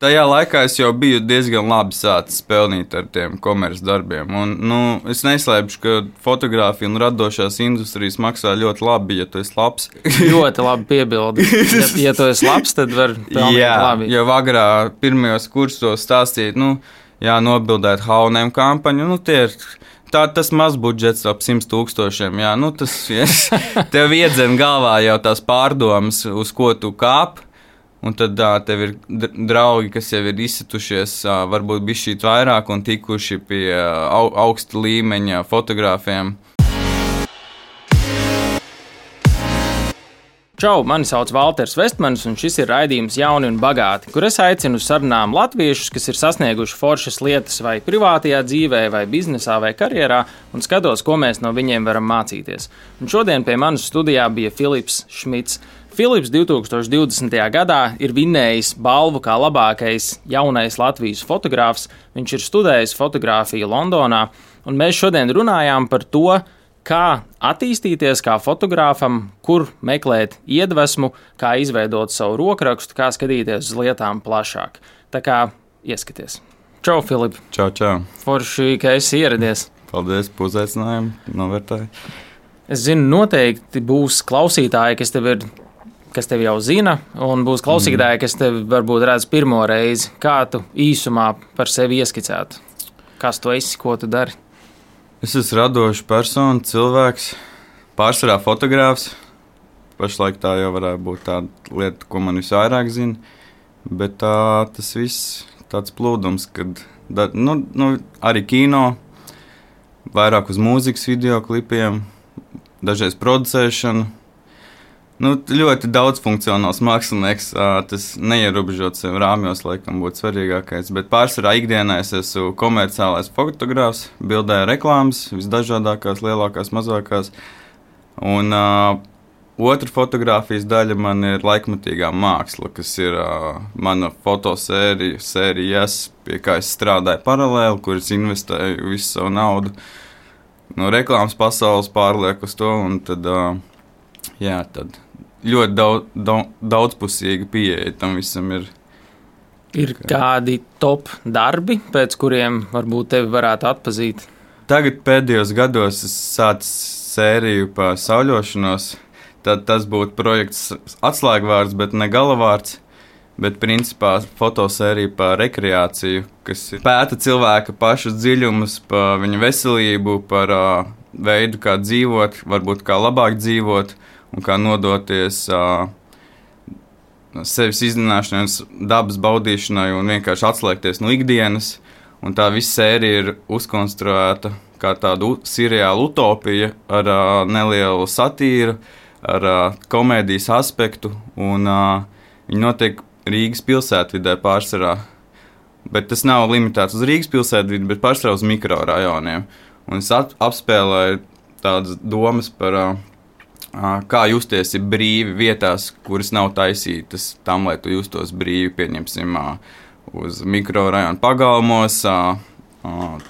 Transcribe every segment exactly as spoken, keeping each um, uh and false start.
Tajā laikā es jau biju diezgan labi sācis pelnīt ar tiem komerces darbiem. Un, nu, es neslēpšu, ka fotogrāfija un radošās industrijas maksā ļoti labi, ja tu esi labs. Ļoti labi piebildi. Ja, ja tu esi labs, tad var pelnīt jā, labi. Jo agrā pirmajos kursos stāstīt, nu, jā, nobildēt H un M kampaņu, nu, tie ir. Tā, tas maz budžets ap simt tūkstošiem. Jā, nu, tas yes, tev iedzen galvā jau tās pārdomas, uz ko tu kāp. Un tad tā, tev ir draugi, kas jau ir izsitušies, varbūt bišķīt vairāk un tikuši pie au, augsta līmeņa fotogrāfiem. Čau, mani sauc Valters Vestmanis, un šis ir raidījums Jauni un bagāti, kur es aicinu uz sarunām latviešus, kas ir sasnieguši foršas lietas vai privātajā dzīvē, vai biznesā, vai karjerā, un skatos, ko mēs no viņiem varam mācīties. Un šodien pie manas studijā bija Filips Šmits. Filips divtūkstoš divdesmitajā gadā ir vinnējis balvu kā labākais jaunais Latvijas fotogrāfs. Viņš ir studējis fotogrāfiju Londonā, un mēs šodien runājām par to, kā attīstīties kā fotogrāfam, kur meklēt iedvesmu, kā izveidot savu rokrakstu, kā skatīties uz lietām plašāk. Tā kā ieskaties. Čau, Filip! Čau, čau! Forši, ka esi ieradies. Paldies par uzaicinājumu, novērtēju. Es zinu, noteikti būs klausītāji, kas tev ir kas tevi jau zina, un būs klausītāji, kas tevi varbūt redz pirmo reizi. Kā tu īsumā par sevi ieskicētu? Kas tu esi, ko tu dari? Es esmu radošs persona, cilvēks, pārsvarā fotogrāfs. Pašlaik tā jau varētu būt tāda lieta, ko man visvairāk zina, bet tā, tas viss tāds plūdums, kad da, nu, nu, arī kino, vairāk uz mūzikas videoklipiem, dažreiz producēšanu. Nu, ļoti daudz funkcionāls mākslinieks, tas neierobežot sev rāmjos, laikam būtu svarīgākais, bet pārsvarā ikdienā es esmu komerciālais fotogrāfs, bildēju reklāmas, visdažādākās, lielākās, mazākās, un uh, otra fotogrāfijas daļa man ir laikmatīgā māksla, kas ir uh, mana fotosērija, sērijas, pie kā es strādāju paralēli, kur es investēju visu savu naudu no reklāmas pasaules pārlieku uz to, un tad, uh, jā, tad ļoti daudz, daudz, daudzpusīga pieeja tam visam ir. Ir kādi top darbi, pēc kuriem varbūt tevi varētu atpazīt? Tagad pēdējos gados es sācu sēriju par sauļošanos. Tad tas būtu projekts atslēgvārds, bet ne galavārds. Bet principā fotosērija par rekreāciju, kas pēta cilvēka pašus dziļumus, par viņa veselību, par uh, veidu, kā dzīvot, varbūt kā labāk dzīvot. Un kā nodoties uh, sevis izzināšanai, dabas baudīšanai un vienkārši atslēgties no ikdienas. Un tā visa sērija ir uzkonstruēta kā tāda seriāla utopija ar uh, nelielu satīru, ar uh, komēdijas aspektu. Un uh, viņi notiek Rīgas pilsētvidē pārsvarā. Bet tas nav limitēts uz Rīgas pilsētvidi, bet pārsvarā uz mikrorajoniem. Un es ap- apspēlēju tādas domas par Uh, kā justies brīvi vietās, kuras nav taisītas tam, lai tu justos brīvi, pieņemsim, uz mikrorajonu pagalmos,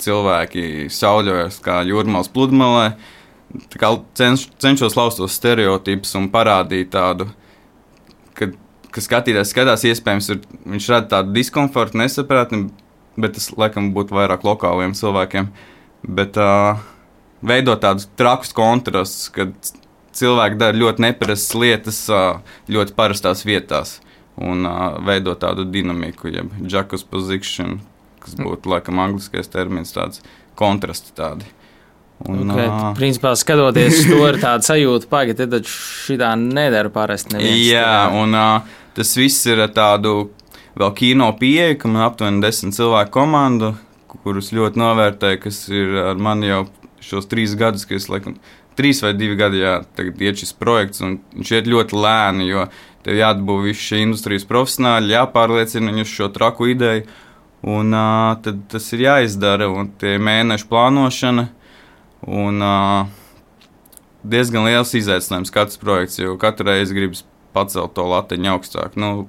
cilvēki sauļojas kā jūrmāls pludmalē. Tā kā cenš, cenšos laust tos stereotipus un parādīt tādu, ka, ka skatītājs skatās, iespējams, ir, viņš rada tādu diskomfortu, nesaprātni, bet tas, laikam, būtu vairāk lokāliem cilvēkiem. Bet uh, veidot tādus trakus kontrastus, kad cilvēki dara ļoti neparastas lietas ļoti parastās vietās un uh, veido tādu dinamiku, jeb juxtaposition, kas būtu, laikam, angliskais termins, tāds kontrasti tādi. Un, okay, uh, principā, skatoties to ir tāda sajūta, pagi, te taču šitā nedara parasti neviens. Jā, tā. Un uh, tas viss ir tādu vēl kino pieeja, ka man aptuveni desmit cilvēku komandu, kurus ļoti novērtēju, kas ir ar mani jau šos trīs gadus, ka es, laikam, Trīs vai divi gadi, jā, tagad iet šis projekts, un viņš iet ļoti lēni, jo tev jāatbūv visi šie industrijas profesionāļi, jāpārliecina viņus šo traku ideju, un uh, tad tas ir jāizdara, un tie mēnešu plānošana, un uh, diezgan liels izaicinājums katrs projekts, jo katru reizi gribas pacelt to latiņu augstāk. Nu,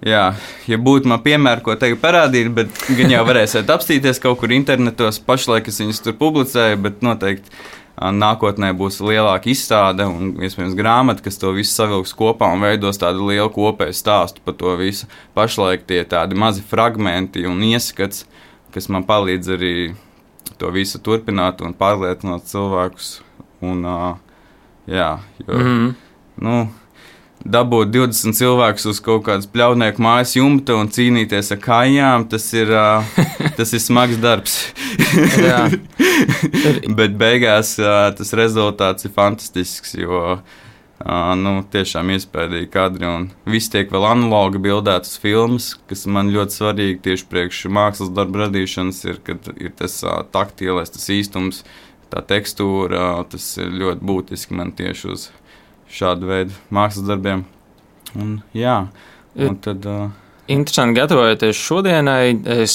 jā, ja būtu man piemēri, ko tagad parādīt, bet gan jau varēsiet apstīties kaut kur internetos, pašlaik es viņus tur publicēju, bet noteikti nākotnē būs lielāka izstāde un, iespējams, grāmata, kas to visu savilks kopā un veidos tādu lielu kopēju stāstu par to visu. Pašlaik tie tādi mazi fragmenti un ieskats, kas man palīdz arī to visu turpināt un pārliecināt cilvēkus. Un, jā, jo, mm-hmm. nu, dabūt divdesmit cilvēkus uz kaut kādas pļaudnieku mājas jumta un cīnīties ar kājām, tas ir, tas ir smags darbs. Bet beigās tas rezultāts ir fantastisks, jo nu, tiešām iespējīgi kadri un viss tiek vēl analogi bildēts uz filmas, kas man ļoti svarīgi tieši priekš mākslas darba radīšanas ir, kad ir tas taktīlais, tas īstums, tā tekstūra, tas ir ļoti būtiski man tieši uz šādu veidu mākslas darbiem. Un, jā, un tad... Uh... Interesanti, gatavojoties šodienai, es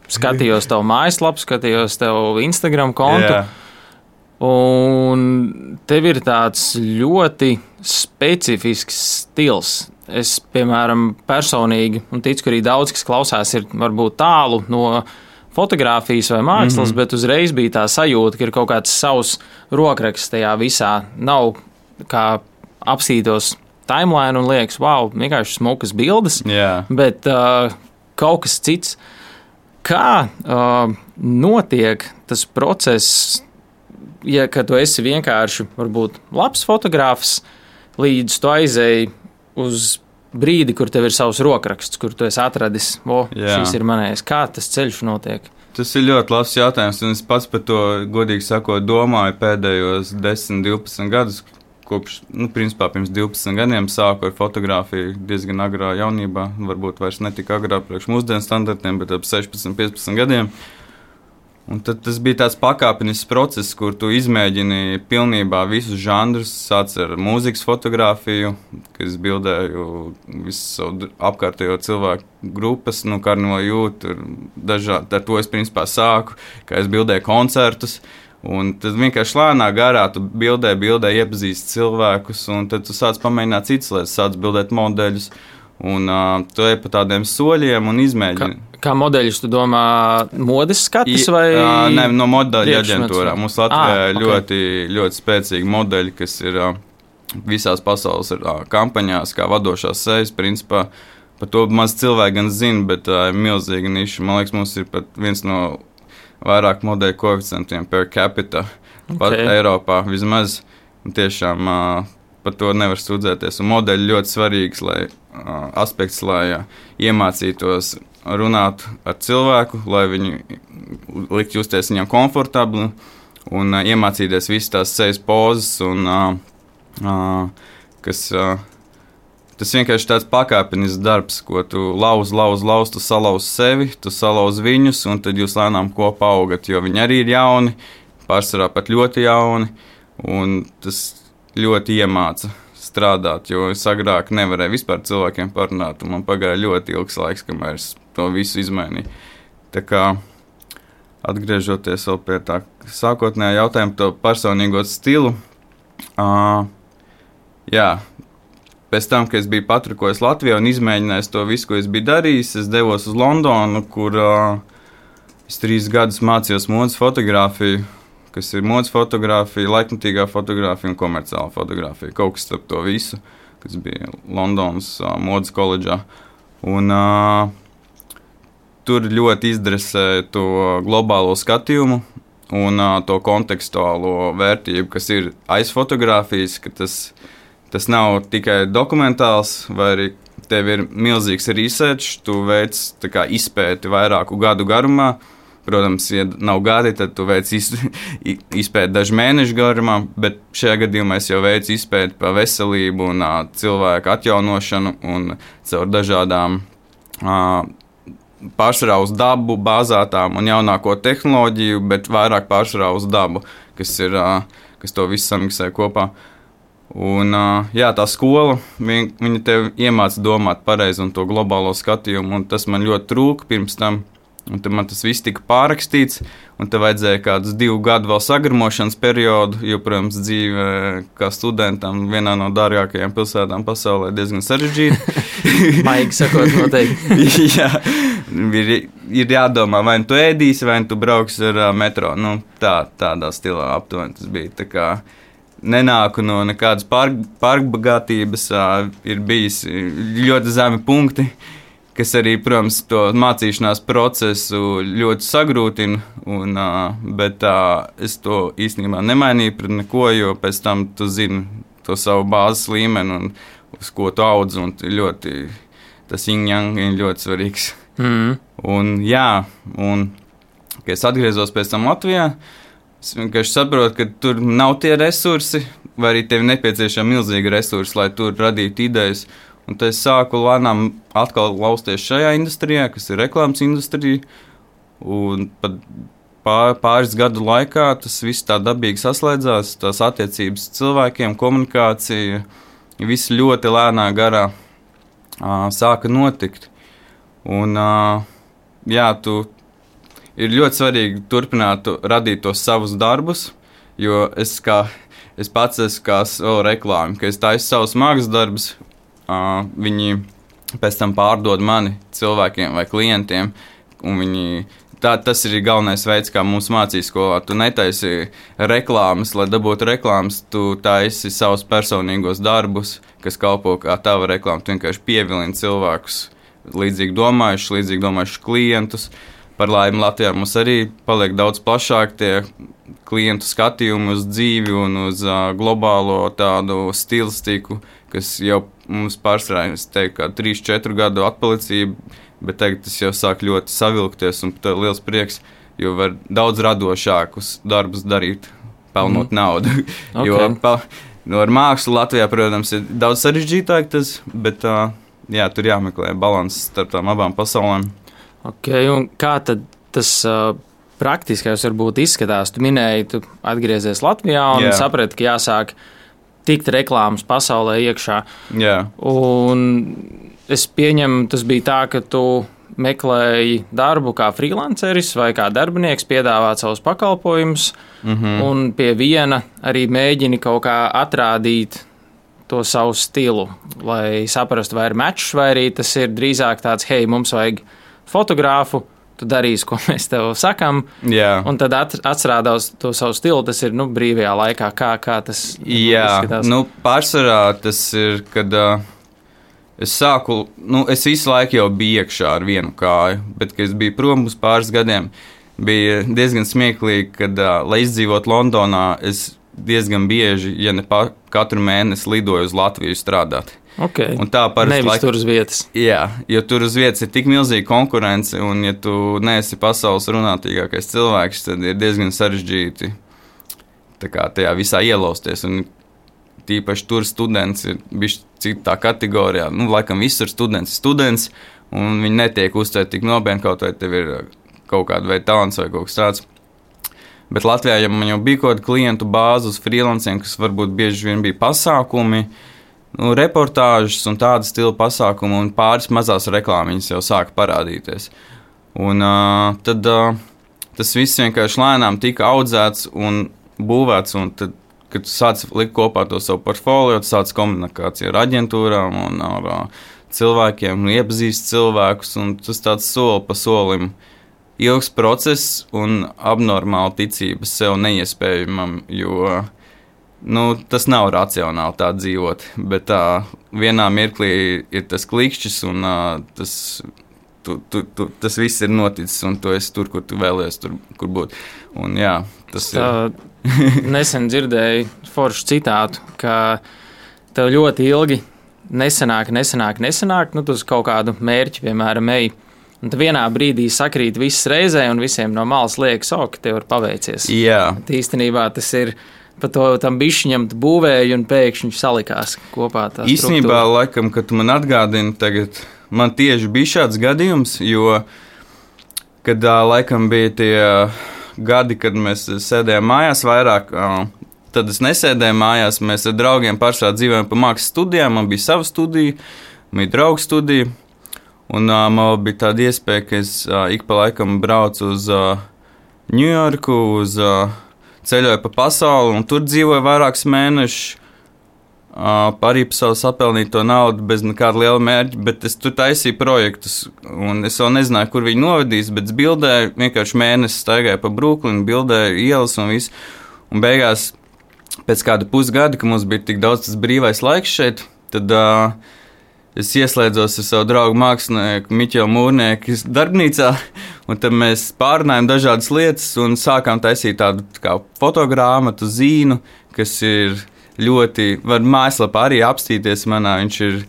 skatījos tavu mājaslapu, skatījos tavu Instagram kontu, yeah. Un tev ir tāds ļoti specifisks stils. Es, piemēram, personīgi, un ticu, ka arī daudz, kas klausās, ir varbūt tālu no fotogrāfijas vai mākslas, mm-hmm. bet uzreiz bija tā sajūta, ka ir kaut kāds savs rokraksts tajā visā. Nav kā apsītos timeline un liekas, wow, vienkārši smukas bildes, yeah. bet uh, kaut kas cits. Kā uh, notiek tas process, ja kad tu esi vienkārši, varbūt, labs fotogrāfs, līdz tu aizēji uz brīdi, kur tev ir savs rokraksts, kur tu esi atradis, o, yeah. šis ir manējais. Kā tas ceļš notiek? Tas ir ļoti labs jautājums, un es pats par to, godīgi sakot, domāju pēdējos desmit, divpadsmit gadus, kopš, nu, principā pirms divpadsmit gadiem sāku ar fotografiju diezgan agrā jaunībā, varbūt vairs ne tik agrā priekš mūsdienu standartiem, bet ap sešpadsmit, piecpadsmit gadiem. Un tad tas bija tāds pakāpenisks process, kur tu izmēģini pilnībā visus žanrus, sāc ar mūzikas fotografiju, kas bildēju visu savu apkārtējo cilvēku grupas, nu, Karno Jūt, dažādi, ar to es principā sāku, kā es bildēju koncertus. Un tad vienkārši lēnā garā tu bildē, bildē, iepazīsti cilvēkus, un tad tu sāc pamēģināt citas lietas, sāc bildēt modeļus, un uh, tu ej pa tādiem soļiem un izmēģini. Kā, kā modeļus tu domā modes skatis vai? Uh, ne, no modeļu aģentūrā. Mums Latvijā ah, ir okay. ļoti, ļoti spēcīgi modeļi, kas ir uh, visās pasaules uh, kampaņās, kā vadošās sejas, principā. Par to maz cilvēki gan zina, bet uh, milzīga niša. Man liekas, mums ir pat viens no vairāk modeļu koeficientiem per capita okay. pat Eiropā vismaz. Tiešām uh, par to nevar sūdzēties. Un modeļi ļoti svarīgs lai, uh, aspekts, lai uh, iemācītos runāt ar cilvēku, lai viņi likt justies viņam komfortabli un uh, iemācīties visas tās sejas pozas, un, uh, uh, kas... Uh, Tas vienkārši tāds pakāpenisks darbs, ko tu lauz, lauz, lauz, tu salauz sevi, tu salauz viņus, un tad jūs lēnām kopā augat, jo viņi arī ir jauni, pārsvarā pat ļoti jauni, un tas ļoti iemāca strādāt, jo es agrāk nevarēju vispār cilvēkiem parunāt, un man pagāja ļoti ilgs laiks, kamēr es to visu izmainīju. Tā kā, atgriežoties vēl pie tā sākotnējā jautājuma, to personīgo stilu, uh, jā, pēc tam, kad es biju patrikojis Latvijā un izmēģinājis to visu, ko es biju darījis, es devos uz Londonu, kur uh, es trīs gadus mācījos modes fotogrāfiju, kas ir modes fotogrāfija, laikmatīgā fotogrāfija un komerciāla fotogrāfija. Kaut kas starp to visu, kas bija Londonas uh, modes koledžā. Un uh, tur ļoti izdresēja to globālo skatījumu un uh, to kontekstuālo vērtību, kas ir aiz fotogrāfijas, ka tas Tas nav tikai dokumentāls, vai arī tev ir milzīgs research, tu veic tā kā izpēti vairāku gadu garumā. Protams, ja nav gadi, tad tu veic izpēti dažu mēnešu garumā, bet šajā gadījumā es jau veicu izpēti par veselību un uh, cilvēku atjaunošanu un caur dažādām uh, pārsvarā uz dabu bāzētām un jaunāko tehnoloģiju, bet vairāk pārsvarā uz dabu, kas, ir, uh, kas to visu samiksē kopā. Un, jā, tā skola, viņa, viņa tev iemāca domāt pareizi un to globālo skatījumu, un tas man ļoti trūka pirms tam. Un tad man tas viss tika pārrakstīts, un te vajadzēja kādus divu gadu vēl sagarmošanas periodu, jo, protams, dzīve kā studentam vienā no dārgākajām pilsētām pasaulē diezgan sarežģīta. Maigi sakot, noteikti. Jā, ir, ir jādomā, vai tu ēdīsi, vai tu brauksi ar uh, metro. Nu, tā, tādā stilā aptuveni tas bija. Tā kā nenāku no nekādas pār, pārbagātības, uh, ir bijis ļoti zemi punkti, kas arī, protams, to mācīšanās procesu ļoti sagrūtina, un, uh, bet uh, es to īstenībā nemainīju pret neko, jo pēc tam tu zini to savu bāzes līmeni un uz ko tu audz, un ļoti, tas yin-yang ir ļoti svarīgs. Mm. Un jā, un, kad es atgriezos pēc tam Latvijā, es vienkārši saprotu, ka tur nav tie resursi, vai arī tev nepieciešami milzīgi resursi, lai tur radītu idejas. Un tad es sāku lēnām atkal lausties šajā industrijā, kas ir reklāmas industrija. Un pat pār, pāris gadu laikā tas viss tā dabīgi saslēdzās, tās attiecības cilvēkiem, komunikācija, viss ļoti lēnā garā uh, sāka notikt. Un, uh, jā, tu ir ļoti svarīgi turpināt radīt tos savus darbus, jo es, kā, es pats esmu kā savu reklāmu, ka es taisu savus mākslas darbus, uh, viņi pēc tam pārdod mani cilvēkiem vai klientiem, un viņi, tā, tas ir galvenais veids, kā mums mācīja skolā. Tu netaisi reklāmas, lai dabūtu reklāmas, tu taisi savus personīgos darbus, kas kalpo kā tava reklāma, tu vienkārši pievilini cilvēkus, līdzīgi domājuši, līdzīgi domājuši klientus. Par laimi Latvijā mums arī paliek daudz plašāk tie klientu skatījumi uz dzīvi un uz uh, globālo tādu stilistiku, kas jau mums pārsvarā, es teiktu, kā trīs četru gadu atpalicība, bet tagad tas jau sāk ļoti savilkties un tā liels prieks, jo var daudz radošākus darbus darīt, pelnot mm. naudu. Okay. Jo pa, no ar mākslu Latvijā, protams, ir daudz sarežģītāk tas, bet uh, jā, tur jāmeklē balanss starp tām abām pasaulēm. Okay, un kā tad tas uh, praktiskais varbūt izskatās? Tu minēji, tu atgriezies Latvijā un yeah. saprati, ka jāsāk tikt reklāmas pasaulē iekšā. Yeah. Un es pieņemu, tas bija tā, ka tu meklēji darbu kā freelanceris vai kā darbinieks, piedāvāt savus pakalpojumus, mm-hmm. un pie viena arī mēģini kaut kā atrādīt to savu stilu, lai saprastu, vai ir mečs, vai arī tas ir drīzāk tāds, hei, mums vajag fotogrāfu, tu darīsi, ko mēs tev sakam, yeah. un tad atstrādās to savu stilu, tas ir, nu, brīvajā laikā, kā, kā tas Jā, izskatās. Nu, pārsvarā tas ir, kad uh, es sāku, nu, es visu laiku jau biju iekšā ar vienu kāju, bet, kad es biju prom uz pāris gadiem, bija diezgan smieklīgi, kad, uh, lai izdzīvot Londonā, es diezgan bieži, ja ne pa, katru mēnesi lidoju uz Latviju strādāt. Okay. Un tā parasti nevis laik... tur uz vietas. Jā, jo tur uz vietas ir tik milzīga konkurence, un ja tu neesi pasaules runātīgākais cilvēks, tad ir diezgan sarežģīti tā kā tajā visā ielausties. Un tīpaši tur students ir bišķi citā kategorijā. Nu, laikam visur students ir students, un viņi netiek uztvērti tik nopietni, kaut vai tev ir kaut kāda veida talants vai kaut kas tāds. Bet Latvijā, ja man jau bija kaut kāda klientu bāze uz freelanciem, kas varbūt bieži vien bija pasākumi, nu, reportāžas un tāda stila pasākumu, un pāris mazās reklāmiņas jau sāka parādīties. Un uh, tad uh, tas viss vienkārši lēnām tika audzēts un būvēts, un tad, kad tu sāc likt kopā to savu portfolio, tu sāc komunikāciju ar aģentūrām un ar uh, cilvēkiem, un iepazīst cilvēkus, un tas tāds soli pa solim ilgs process un abnormāla ticība sev neiespējamam, jo nu, tas nav racionāli tā dzīvot, bet tā vienā mirklī ir tas klikšķis un uh, tas, tu, tu, tu, tas viss ir noticis un tu esi tur, kur tu vēlies tur, kur būt. Un jā, tas tā, ir. Nesen dzirdēju foršu citātu, ka tev ļoti ilgi nesanāk, nesanāk, nesanāk, nu tu uz kaut kādu mērķi, piemēram, ej. Un tad vienā brīdī sakrīt viss reizē un visiem no malas liekas, o, ka tev ir paveicies. Jā. Bet īstenībā tas ir pa to tam bišķiņam būvēju un pēkšņi salikās kopā tā Īstenībā, struktūra. laikam, kad tu man atgādini tagad, man tieši bija šāds gadījums, jo, kad laikam bija tie gadi, kad mēs sēdējām mājās vairāk, tad es nesēdēju mājās, mēs ar draugiem pašā dzīvojam pa mākslas studijām, man bija sava studija, man bija draugu studija, un man bija tāda iespēja, ka es ik pa laikam braucu uz Ņujorku, uz ceļoju pa pasauli, un tur dzīvoju vairākus mēnešus. Uh, arī par savu sapelnīto naudu bez nekāda liela mērķa, bet es tur taisīju projektus, un es vēl nezināju, kur viņi novedīs, bet es bildēju, vienkārši mēnesi staigāju pa Bruklinu, bildēju ielas un visu, un beigās pēc kāda pusgada, kad mums bija tik daudz tas brīvais laiks šeit, tad uh, es ieslēdzos ar savu draugu mākslinieku Miķelu Mūrnieku darbnīcā, un tad mēs pārunājām dažādas lietas un sākām taisīt tādu tā kā fotogrāmatu, zīnu, kas ir ļoti, var mājaslapā arī apstīties manā, viņš ir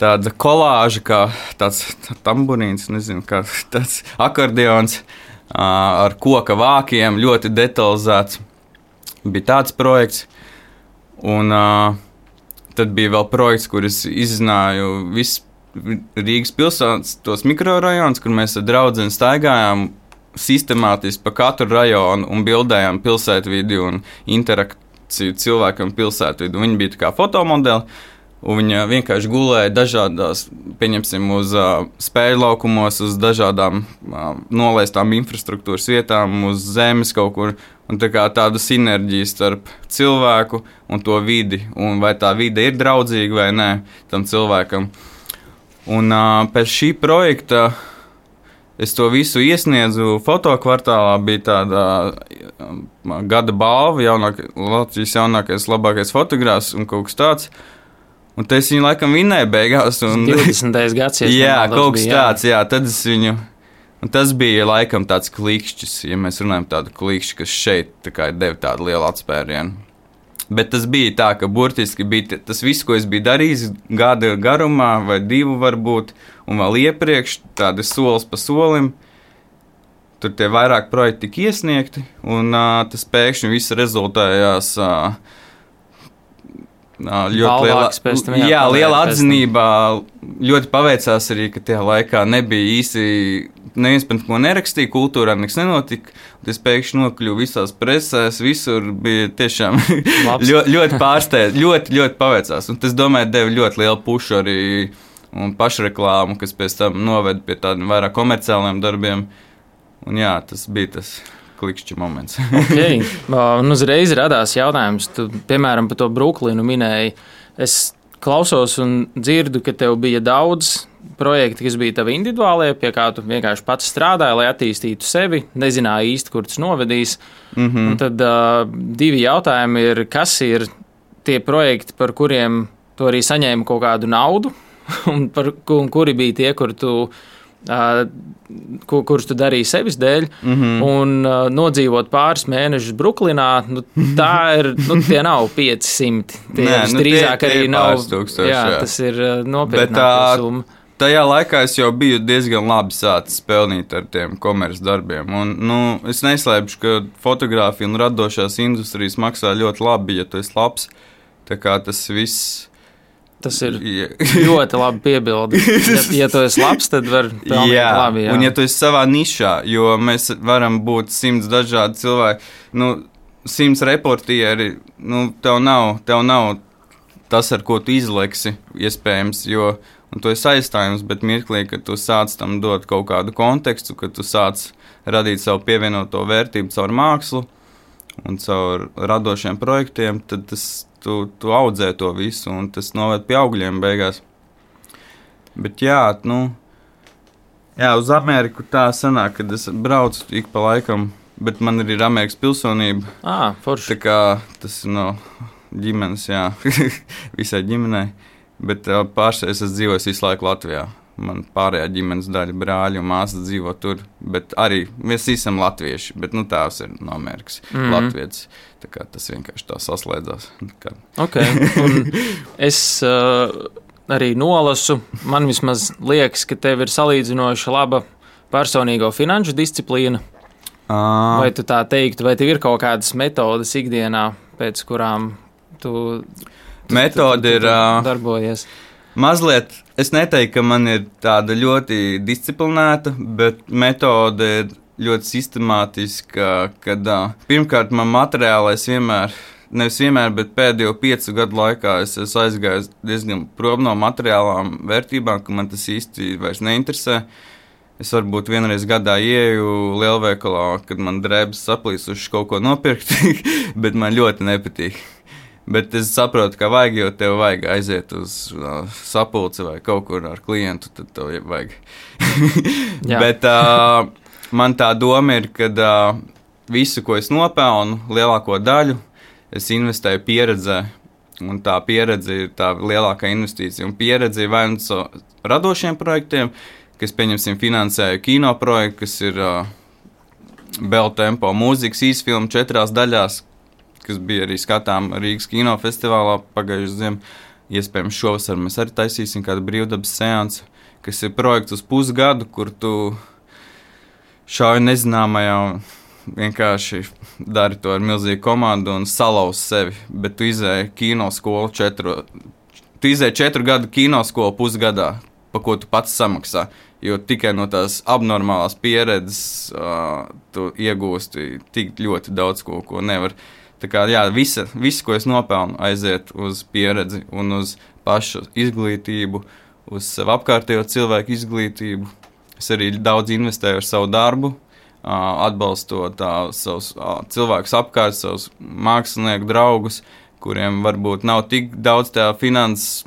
tāda kolāža, kā tāds tā tamburīns, nezinu, kā tāds akordeons ar koka vākiem, ļoti detalizēts. Bija tāds projekts, un tad bija vēl projekts, kur es izzināju visu Rīgas pilsētas, tos mikrorajonus, kur mēs ar draudzeni staigājām sistemātiski pa katru rajonu un bildējām pilsētvidi un interaktīvu cilvēkam pilsētvidu. Viņi bija tā kā fotomodeli, un viņi vienkārši gulēja dažādās, pieņemsim, uz uh, spēļu laukumos, uz dažādām uh, nolaistām infrastruktūras vietām, uz zemes kaut kur, un tā kā tāda sinerģija starp cilvēku un to vidi, un vai tā vide ir draudzīga vai nē tam cilvēkam. Un uh, pēc šī projekta es to visu iesniedzu fotokvartālā, bija tāda um, gada balva, jaunāk, Latvijas jaunākais, labākais fotogrāfs un kaut kas tāds. Un te es viņu laikam vinēju beigās. Un, divdesmitais gads, ja jā, kaut kas bija, tāds, jā. jā, tad es viņu, un tas bija laikam tāds klikšķis, ja mēs runājam tādu klikšķi, kas šeit tā kā deva tādu lielu atspērienu. Bet tas bija tā, ka burtiski bija tas viss, ko es biju darījis gada garumā, vai divu varbūt, un vēl iepriekš, tādi solis pa solim. Tur tie vairāk projekti tika iesniegti, un uh, tas pēkšņi viss rezultējās uh, ļoti liela, tam, jā, jā, liela atzinībā. Ļoti paveicās arī, ka tajā laikā nebija īsi, neviens par ko nerakstīja, kultūrā nekas nenotika. Es pēkšņi nokļuvu visās presēs, visur bija tiešām ļoti, ļoti pārsteidz, ļoti, ļoti paveicās. Un tas, domāju, deva ļoti lielu pušu arī un pašreklāmu, kas pēc tam noveda pie tādiem vairāk komerciāliem darbiem. Un jā, tas bija tas klikšķi moments. Okay. Un uzreiz radās jautājums, tu, piemēram, par to Bruklinu minēji. Es klausos un dzirdu, ka tev bija daudz projekti, kas bija tavi individuālie, pie kā tu vienkārši pats strādāji, lai attīstītu sevi, nezināji īsti, kur tas novedīs. Mm-hmm. Un tad uh, divi jautājumi ir, kas ir tie projekti, par kuriem tu arī saņēmi kaut kādu naudu, un, par, un kuri bija tie, kur tu Uh, kur, kurus tu darīji sevis dēļ, mm-hmm. un uh, nodzīvot pāris mēnešus Bruklinā, nu, tā ir, nu, tie nav pieci simti. Tie Nē, nu, drīzāk tie, tie arī nav. Tūkstoši, jā, jā, tas ir uh, nopietnākā summa. Tajā laikā es jau biju diezgan labi sācis pelnīt ar tiem komerces darbiem. Un, nu, es neslēpšu, ka fotogrāfija un radošās industrijas maksā ļoti labi, ja tu esi labs. Tā kā tas viss. Tas ir ļoti labi piebildi. Ja, ja tu esi labs, tad var pelnīt jā, labi. Jā, un ja tu esi savā nišā, jo mēs varam būt simts dažādi cilvēki, nu, simts reportieri, nu, tev nav, tev nav tas, ar ko tu izleksi, iespējams, jo, un tu esi aizstājums, bet mirklī, kad tu sāc tam dot kaut kādu kontekstu, kad tu sāc radīt savu pievienoto vērtību caur mākslu un caur radošiem projektiem, tad tas Tu, tu audzē to visu, un tas noved pie augļiem beigās. Bet jā, nu, jā, uz Ameriku tā sanāk, kad es braucu ik pa laikam, bet man ir Amerikas pilsonība. Ā, forši. Tā kā tas ir no ģimenes, jā, visai ģimenei, bet pārsēs es dzīvoju visu laiku Latvijā. Man pārējā ģimenes daļa brāļi un māsas dzīvo tur, bet arī mēs esam latvieši, bet nu tēvs ir no Amerikas, mm-hmm. latvietis. Tā kā tas vienkārši tā saslēdzās. Kā. Ok, un es uh, arī nolasu, man vismaz liekas, ka tev ir salīdzinoši laba personīgo finanšu disciplīna. Uh. Vai tu tā teiktu, vai tev ir kaut kādas metodas ikdienā, pēc kurām tu, tu, Metode tu, tu, tu, ir, uh, darbojies? Mazliet, es neteiktu, ka man ir tāda ļoti disciplinēta, bet metode ir ļoti sistemātiska, kad uh, pirmkārt man materiālais vienmēr, nevis vienmēr, bet pēdējo piecu gadu laikā es esmu aizgājis diezgan prom no materiālām vērtībām, ka man tas īsti vairs neinteresē. Es varbūt vienreiz gadā ieju lielveikalā, kad man drēbes saplīsuši kaut ko nopirkt, bet man ļoti nepatīk. Bet es saprotu, ka vajag, jo tev vajag aiziet uz uh, sapulci vai kaut kur ar klientu, tad tev vajag. Bet uh, man tā doma ir, ka uh, visu, ko es nopelnu, lielāko daļu, es investēju pieredzē. Un tā pieredze ir tā lielākā investīcija. Un pieredze ir vai nu so radošiem projektiem, kas, pieņemsim, finansēju kino projektu, kas ir uh, Bell Tempo mūzikas īsfilma četrās daļās, kas bija arī skatām Rīgas kinofestivālā pagājušajā ziemā. Iespējams, šovasar mēs arī taisīsim kādu brīvdabas seansu, kas ir projekts uz pusgadu, kur tu šauj nezināmajā un vienkārši dari to ar milzīgu komandu un salauz sevi. Bet tu izēji kinoskolu četru, tu izēji četru gadu kinoskolu pusgadā, pa ko tu pats samaksā. Jo tikai no tās abnormālās pieredzes uh, tu iegūsti tik ļoti daudz ko, ko nevar. Tā kā, jā, visa, visu, ko es nopelnu, aiziet uz pieredzi un uz pašu izglītību, uz savu apkārtējo cilvēku izglītību. Es arī daudz investēju ar savu darbu, atbalstot tā, savus cilvēkus apkārt, savus mākslinieku draugus, kuriem varbūt nav tik daudz tā finanses,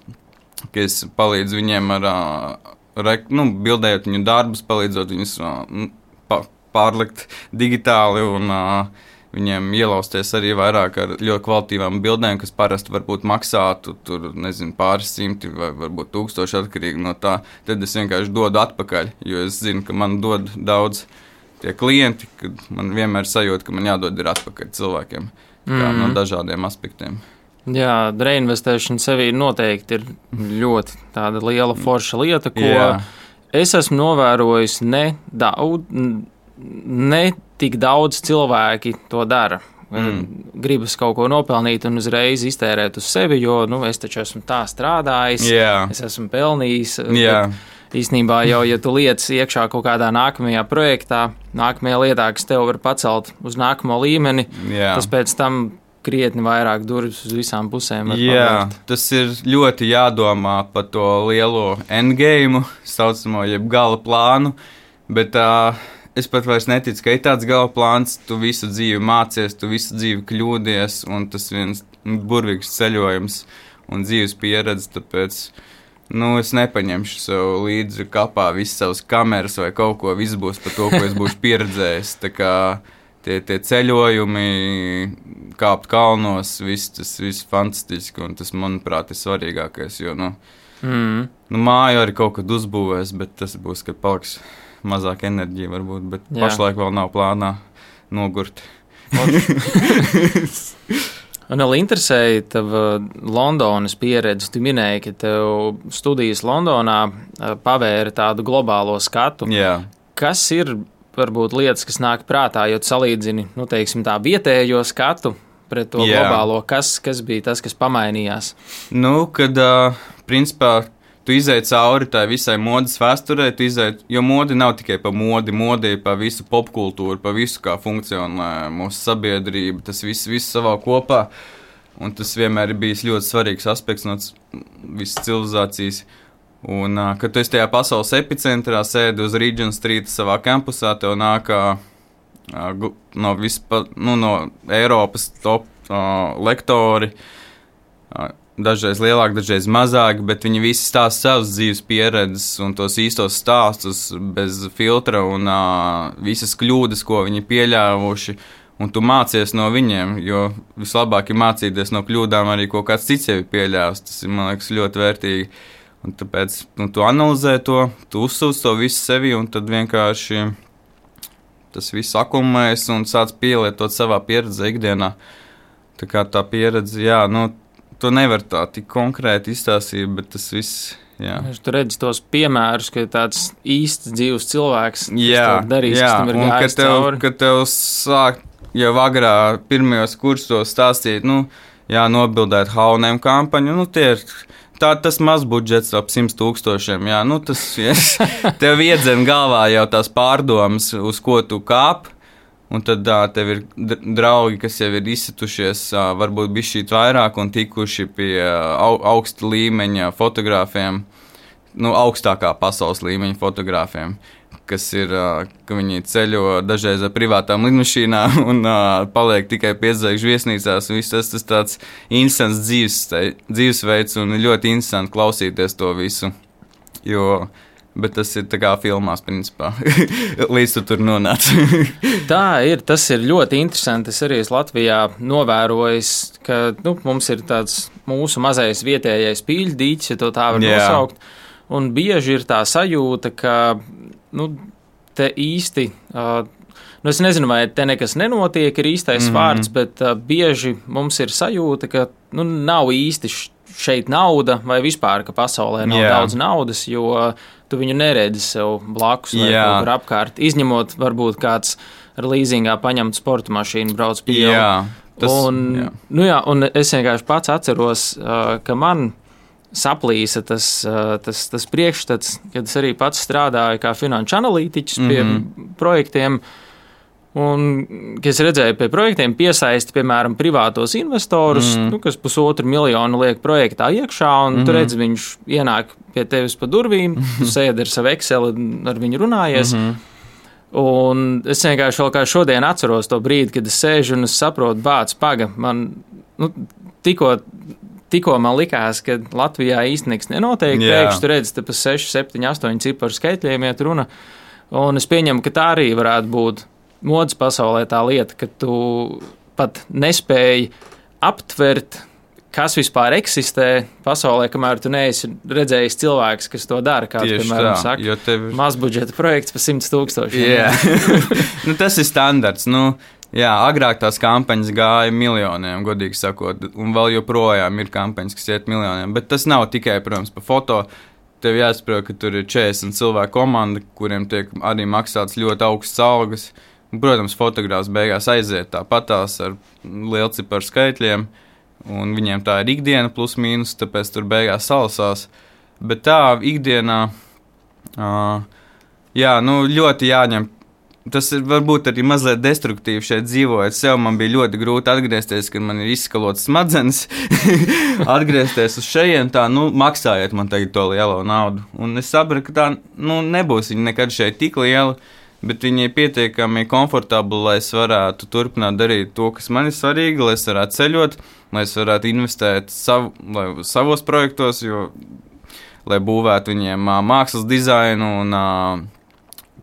ka es palīdzu viņiem ar, nu, bildējot viņu darbus, palīdzot viņus pārlikt digitāli un viņiem ielausties arī vairāk ar ļoti kvalitīvām bildēm, kas parasti varbūt maksātu tur, nezinu, pāris simti vai varbūt tūkstoši atkarīgi no tā. Tad es vienkārši dodu atpakaļ, jo es zinu, ka man dod daudz tie klienti, kad man vienmēr sajūta, ka man jādod ir atpakaļ cilvēkiem kā, mm. no dažādiem aspektiem. Jā, reinvestēšana sevī noteikti ir ļoti tāda liela forša lieta, ko Jā. es esmu novērojis ne daudz, ne tik daudz cilvēki to dara. Mm. Gribas kaut ko nopelnīt un uzreiz iztērēt uz sevi, jo nu, es taču esmu tā strādājis, yeah. es esmu pelnījis. Yeah. Īstenībā jau, ja tu liec iekšā kaut kādā nākamajā projektā, nākamajā lietā, kas tev var pacelt uz nākamo līmeni, yeah. tas pēc tam krietni vairāk durvis uz visām pusēm. Jā, tas ir ļoti jādomā par to lielo endgame, saucamo, jeb gala plānu, bet uh, es pat vairs neticu, ka ir tāds gala plāns, tu visu dzīvi mācies, tu visu dzīvi kļūdies, un tas viens burvīgs ceļojums un dzīves pieredze, tāpēc, nu, es nepaņemšu sev līdzi kapā visas savas kameras vai kaut ko, viss būs par to, ko es būšu pieredzējis, tā kā tie, tie ceļojumi, kāpt kalnos, viss tas viss fantastiski, un tas, manuprāt, ir svarīgākais, jo, nu, mm. nu māju arī kaut kad uzbūvēs, bet tas būs, kad paliks mazāk enerģija varbūt, bet Jā. Pašlaik vēl nav plānā nogurt. Man vēl interesēja tava Londonas pieredze. Tu minēji, ka tev studijas Londonā pavēra tādu globālo skatu. Jā. Kas ir varbūt lietas, kas nāk prātā, jo tu salīdzini, nu, teiksim, tā vietējo skatu pret to Jā. Globālo? Kas, kas bija tas, kas pamainījās? Nu, kad, uh, principā, tu izēji cauri tai visai modes vēsturē, tu izēji, jo modi nav tikai pa modi, modi ir pa visu popkultūru, pa visu, kā funkcionē mūsu sabiedrība, tas viss, viss savā kopā, un tas vienmēr ir bijis ļoti svarīgs aspekts no visas civilizācijas. Un, kad tu esi tajā pasaules epicentrā, sēdi uz Regent Street savā kampusā, tev nākā no, vispa, nu, no Eiropas top uh, lektori, uh, dažreiz lielāki, dažreiz mazāki, bet viņi visi stāsta savas dzīves pieredzes un tos īstos stāstus bez filtra un uh, visas kļūdas, ko viņi pieļāvuši, un tu mācies no viņiem, jo vislabāk ir mācīties no kļūdām arī, ko kāds cits jau ir pieļāvis. Tas ir, man liekas, ļoti vērtīgi. Un tāpēc nu, tu analizē to, tu uzsūc to visu sevi, un tad vienkārši tas viss akumulējas un sāc pielietot savā pieredzē ikdienā. Tā kā tā pieredze, jā, nu, to nevar tā tik konkrēti izstāstīt, bet tas viss, jā. Tu redzi tos piemērus, ka tāds īsts dzīves cilvēks, jā, kas darīs, jā, kas tam ir un gājis kad tev, cauri. Kad tev sāk jau agrā pirmajos kursos stāstīt, nu, jā, nobildēt haunēm kampaņu, nu, tie ir tā, tas maz budžets ap simts tūkstošiem, jā, nu, tas, yes, tev iedzen galvā jau tās pārdomas, uz ko tu kāp. Un tad uh, tev ir draugi, kas jau ir izsitušies, uh, varbūt bišķīt vairāk un tikuši pie uh, augsta līmeņa fotogrāfiem, nu, augstākā pasaules līmeņa fotogrāfiem, kas ir, ka viņi ceļo dažreiz ar privātām lidmašīnām un uh, paliek tikai piecdesmit viesnīcās. Viss tas, tas tāds interesants dzīves, dzīvesveids un ļoti interesanti klausīties to visu. Jo, bet tas ir tā kā filmās, principā, līdz tu tur nonāc. Tā ir, tas ir ļoti interesanti. Es arī esmu Latvijā novērojis, ka nu, mums ir tāds mūsu mazais vietējais pīļdīķis, ja to tā var yeah. nosaukt. Un bieži ir tā sajūta, ka nu, te īsti, uh, nu es nezinu, vai te nekas nenotiek, ir īstais mm-hmm. vārds, bet uh, bieži mums ir sajūta, ka nu, nav īsti šeit nauda vai vispār, ka pasaulē nav yeah. daudz naudas, jo tu viņu neredzi sev blakus vai yeah. kaut kur apkārt, izņemot varbūt kāds ar līzingā paņemt sporta mašīnu brauc pie jau. Yeah, tas, un, yeah. nu jā, un es vienkārši pats atceros, uh, ka man saplīsa tas, tas, tas priekšstats, kad es arī pats strādāju kā finanšu analītiķis pie mm-hmm. projektiem, un, kad es redzēju pie projektiem piesaisti, piemēram, privātos investorus, mm-hmm. nu, kas pusotru miljonu liek projektā iekšā, un mm-hmm. tu redzi, viņš ienāk pie tevis pa durvīm, tu sēdi ar savu Excel, ar viņu runājies, mm-hmm. un es vienkārši vēl kā šodien atceros to brīdi, kad es sēžu un es saprotu, bāc, paga, man, nu, tikko Tikko man likās, ka Latvijā īsti nekas nenotiek, yeah. pēkšņi tu redzi, te pa seši, septiņi, astoņi ciparu skaitļiem iet runa, un es pieņemu, ka tā arī varētu būt modes pasaulē tā lieta, ka tu pat nespēji aptvert, kas vispār eksistē pasaulē, kamēr tu neesi redzējis cilvēks, kas to dara, kāds, Tieši piemēram, tā, saka, tev... mazbudžeta projekts pa simts tūkstošiem. Yeah. nu, tas ir standarts, nu, jā, agrāk tās kampaņas gāja miljoniem, godīgi sakot, un vēl joprojām ir kampaņas, kas iet miljoniem, bet tas nav tikai, protams, pa foto. Tev jāsaprot, ka tur ir četrdesmit cilvēku komanda, kuriem tiek arī maksāts ļoti augsts algas. Un, protams, fotogrāfs beigās aiziet tāpatās ar lielciparu skaitļiem, un viņiem tā ir ikdiena plus mīnus, tāpēc tur beigās salasās. Bet tā ikdienā, uh, jā, nu, ļoti jāņem. Tas ir varbūt arī mazliet destruktīvi šeit dzīvojot. Sev man bija ļoti grūti atgriezties, kad man ir izskalots smadzenes. atgriezties uz šejien, tā, nu, maksājiet man tagad to lielo naudu. Un es sapratu, ka tā, nu, nebūs viņa nekad šeit tik liela, bet viņa ir pietiekami komfortabla, lai es varētu turpināt darīt to, kas man ir svarīgi, lai es varētu ceļot, lai es varētu investēt savu, lai, savos projektos, jo, lai būvētu viņiem uh, mākslas dizainu un uh,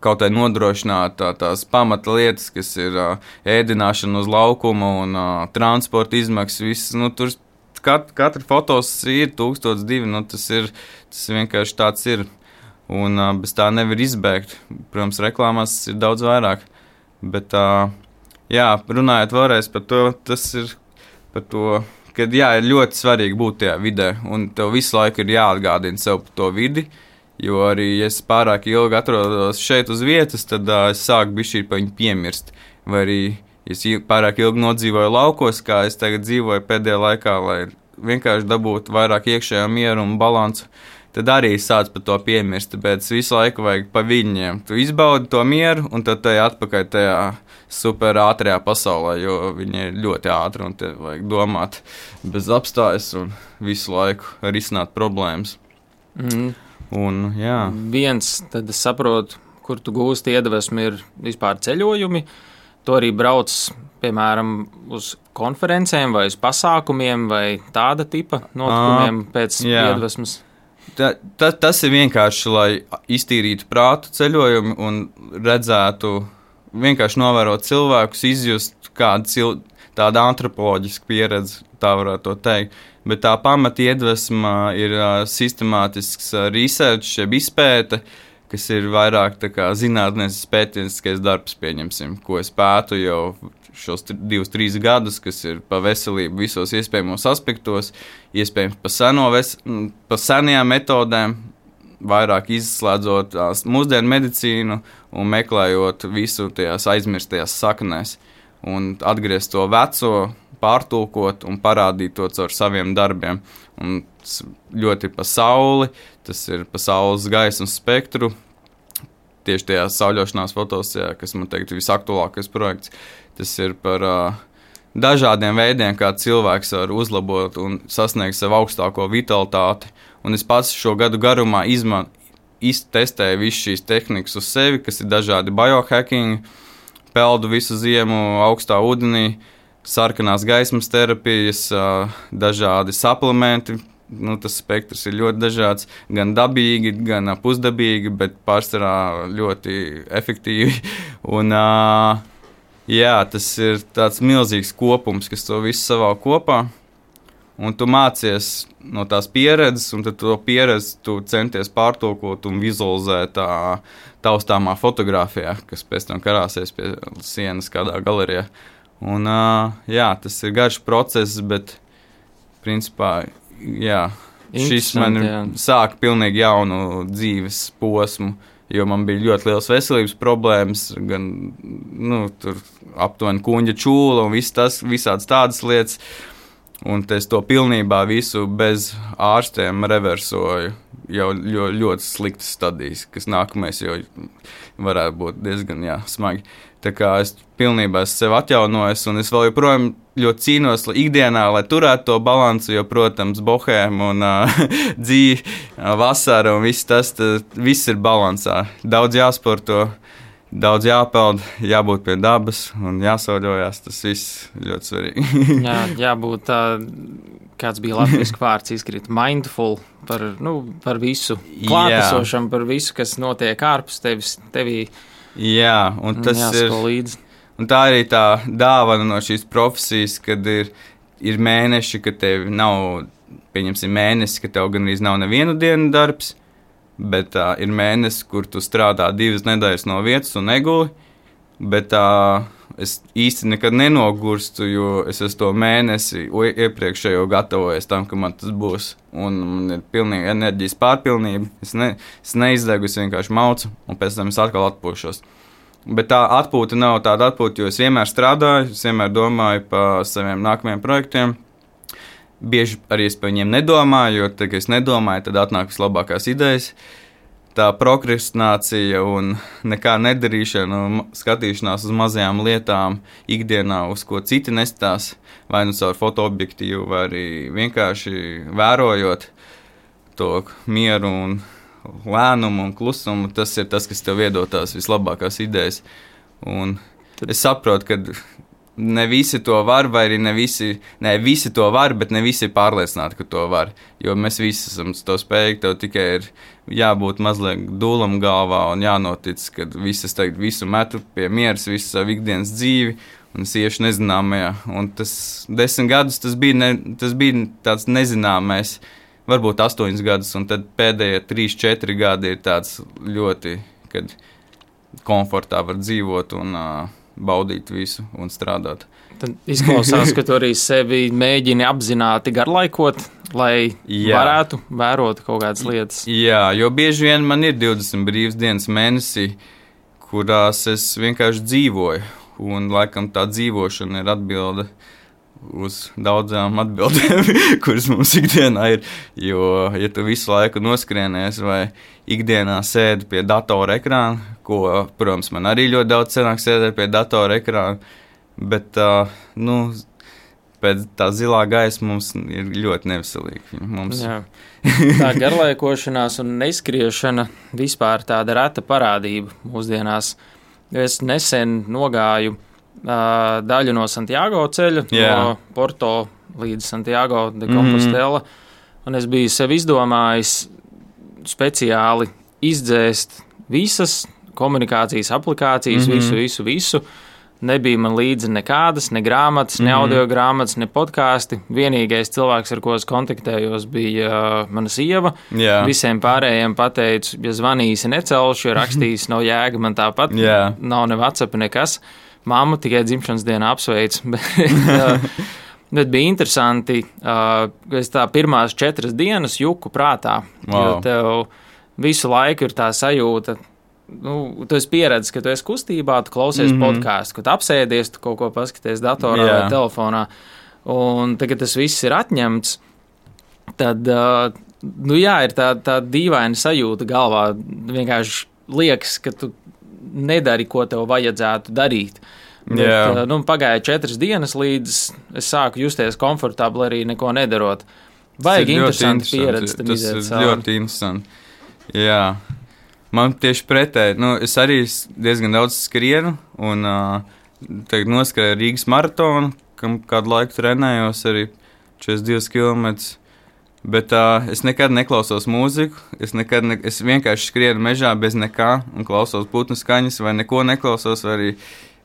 kaut kā nodrošināt tā, tās pamata lietas, kas ir uh, ēdināšana uz laukuma un uh, transporta izmaksas. Viss, nu, tur kat, katra fotos ir tūkstots divi, nu, tas ir, tas vienkārši tāds ir. Un uh, bez tā nevar izbēgt. Protams, reklāmās ir daudz vairāk. Bet, uh, jā, runājot vēlreiz par to, tas ir par to, ka, jā, ir ļoti svarīgi būt tajā vidē, un tev visu laiku ir jāatgādina sev par to vidi. Jo arī, ja es pārāk ilgi atrodos šeit uz vietas, tad uh, es sāku bišķīt pa viņu piemirst. Vai arī, ja es pārāk ilgi nodzīvoju laukos, kā es tagad dzīvoju pēdējā laikā, lai vienkārši dabūtu vairāk iekšējā mieru un balansu, tad arī sāc par to piemirst, tāpēc visu laiku vajag pa viņiem. Tu izbaudi to mieru, un tad tajā atpakaļ tajā super ātrajā pasaulē, jo viņi ir ļoti ātri, un te vajag domāt bez apstājas un visu laiku risināt problēmas. Mm. Un, jā. Viens, tad es saprotu, kur tu gūsti iedvesmi, ir vispār ceļojumi. Tu arī brauc, piemēram, uz konferencēm vai uz pasākumiem vai tāda tipa notikumiem uh, pēc jā. iedvesmas. Ta, ta, tas ir vienkārši, lai iztīrītu prātu ceļojumu un redzētu, vienkārši novērot cilvēkus, izjust kādu cil, tādu antropoloģisku pieredzi, tā varētu to teikt. Bet tā pamata iedvesma ir uh, sistemātisks uh, research, jeb izpēte, kas ir vairāk tā kā zinātnēs pētnieciskais darbs, pieņemsim, ko es pētu jau šos divus, trīs gadus, kas ir pa veselību visos iespējamos aspektos, iespējams pa, seno ves, pa senajām metodēm, vairāk izslēdzot tās mūsdienu medicīnu un meklējot visu tajās aizmirstajās saknēs un atgriezt to veco, pārtulkot un parādīt to caur saviem darbiem. Un ļoti pa sauli, tas ir pa saules gaismas spektru, tieši tajā sauļošanās fotos, jā, kas man teikt visaktuālākais projekts. Tas ir par uh, dažādiem veidiem, kā cilvēks var uzlabot un sasniegt savu augstāko vitalitāti. Un es pats šo gadu garumā izman, iztestēju visu šīs tehnikas uz sevi, kas ir dažādi biohacking, peldu visu ziemu augstā ūdenī, sarkanās gaismas terapijas, dažādi suplementi. Nu, tas spektrs ir ļoti dažāds, gan dabīgi, gan pusdabīgi, bet pārsvarā ļoti efektīvi. Un, jā, tas ir tāds milzīgs kopums, kas to visu savā kopā. Un tu mācies no tās pieredzes, un tad to pieredzi tu centies pārtulkot un vizualizēt tā taustāmā fotogrāfijā, kas pēc tam karāsies pie sienas kādā galerijā. Un, jā, tas ir garš process, bet principā, jā, šis man sāka pilnīgi jaunu dzīves posmu, jo man bija ļoti liels veselības problēmas, gan, nu, tur aptuveni kuņģa čūla un viss tas, visādas tādas lietas. Un es to pilnībā visu bez ārstiem reversoju, jau ļoti, ļoti sliktas stadijas, kas nākamais jau varētu būt diezgan, jā, smagi. Tā kā es pilnībā esmu sev atjaunojis, un es vēl joprojām ļoti cīnos ikdienā, lai turētu to balansu, jo, protams, bohēma un uh, dzīve, uh, vasara un viss tas, tas, viss ir balansā. Daudz jāsporto. Daudz jāpeld, jābūt pie dabas un jāsauļojās. Tas viss ļoti svarīgi. Jā, jābūt tā, kāds bija latviski vārds izkrīt, mindful par, nu, par visu klātesošam, par visu, kas notiek ārpus tevis, tevī. Jā, un tas ir, līdzi. Un tā arī tā dāvana no šīs profesijas, kad ir, ir mēneši, ka tev nav, pieņemsim mēnesi, ka tev gan arī nav nevienu dienu darbs, bet uh, ir mēnesis, kur tu strādā divas nedēļas no vietas un neguli, bet uh, es īsti nekad nenogurstu, jo es esmu to mēnesi iepriekšējo gatavojies tam, ka man tas būs, un man ir pilnīgi enerģijas pārpilnība, es, ne, es neizdegu, es vienkārši maucu, un pēc tam es atkal atpūšos. Bet tā atpūta nav tāda atpūta, jo es vienmēr strādāju, es vienmēr domāju par saviem nākamajiem projektiem. Bieži arī es par viņiem nedomāju, jo tad, kad es nedomāju, tad atnāk vislabākās idejas. Tā prokrastinācija un nekā nedarīšana un skatīšanās uz mazajām lietām ikdienā, uz ko citi nestās, vai nu caur fotoobjektīvu, vai arī vienkārši vērojot to mieru un lēnumu un klusumu, tas ir tas, kas tev iedod tās vislabākās idejas. Un es saprotu, ka ne visi to var, vai arī ne visi, ne visi to var, bet ne visi ir pārliecināti, ka to var. Jo mēs visi esam to spējīgi, tev tikai ir jābūt mazliet dūlam galvā un jānotic, ka visas tagad visu metu pie mieras, visu savu ikdienas dzīvi, un es iešu nezināmajā. Un tas desmit gadus, tas bija, ne, tas bija tāds nezināmais, varbūt astoņus gadus, un tad pēdējie trīs, četri gadi ir tāds ļoti, kad komfortā var dzīvot un uh, baudīt visu un strādāt. Tad izklausās, ka tu arī sevi mēģini apzināti garlaikot, lai Jā. varētu vērot kaut kādas lietas. Jā, jo bieži vien man ir divdesmit brīvas dienas mēnesī, kurās es vienkārši dzīvoju, un laikam tā dzīvošana ir atbilde uz daudzām atbildēm, kuras mums ikdienā ir, jo, ja tu visu laiku noskrienies vai ikdienā sēdi pie datora ekrāna, ko, protams, man arī ļoti daudz senāk sēdēt pie datora ekrāna, bet, uh, nu, pēc tā zilā gaisa mums ir ļoti neveselīgi. Mums... Jā. Tā garlaikošanās un neizskriešana vispār tāda reta parādība mūsdienās. Es nesen nogāju uh, daļu no Santiago ceļa, Jā. no Porto līdz Santiago de Compostela, mm-hmm. un es biju sev izdomājis speciāli izdzēst visas komunikācijas aplikācijas, mm-hmm. visu, visu, visu. Nebija man līdzi nekādas, ne grāmatas, ne mm-hmm. audio grāmatas, ne podkāsti. Vienīgais cilvēks, ar ko es kontaktējos, bija uh, mana sieva. Yeah. Visiem pārējiem pateicu, ja zvanīsi necelšu, ja rakstīsi nav jēga, man tāpat yeah. nav ne WhatsApp, nekas. Mammu tikai dzimšanas dienā apsveic. Bet, uh, bet bija interesanti, uh, ka es tā pirmās četras dienas juku prātā, wow. jo tev visu laiku ir tā sajūta, nu, tu esi pieredzis, ka tu esi kustībā, tu klausies mm-hmm. podkāstu, kad apsēdies, tu kaut ko paskaties datorā yeah. vai telefonā, un tagad tas viss ir atņemts, tad, uh, nu jā, ir tā, tā dīvaina sajūta galvā, vienkārši liekas, ka tu nedari, ko tev vajadzētu darīt. Bet, yeah. uh, nu, pagāja četras dienas, līdz es sāku justies komfortabli arī neko nedarot. Vajag interesanti pieredzi tam iziet cauri. Tas ir ļoti interesanti, jā. Man tieši pretēji, nu, es arī diezgan daudz skrienu, un uh, tagad noskrēju Rīgas maratonu, kam kādu laiku trenējos arī četrdesmit divus kilometrus. Bet uh, es nekad neklausos mūziku, es, nekad ne, es vienkārši skrienu mežā bez nekā un klausos putnu skaņas, vai neko neklausos, vai arī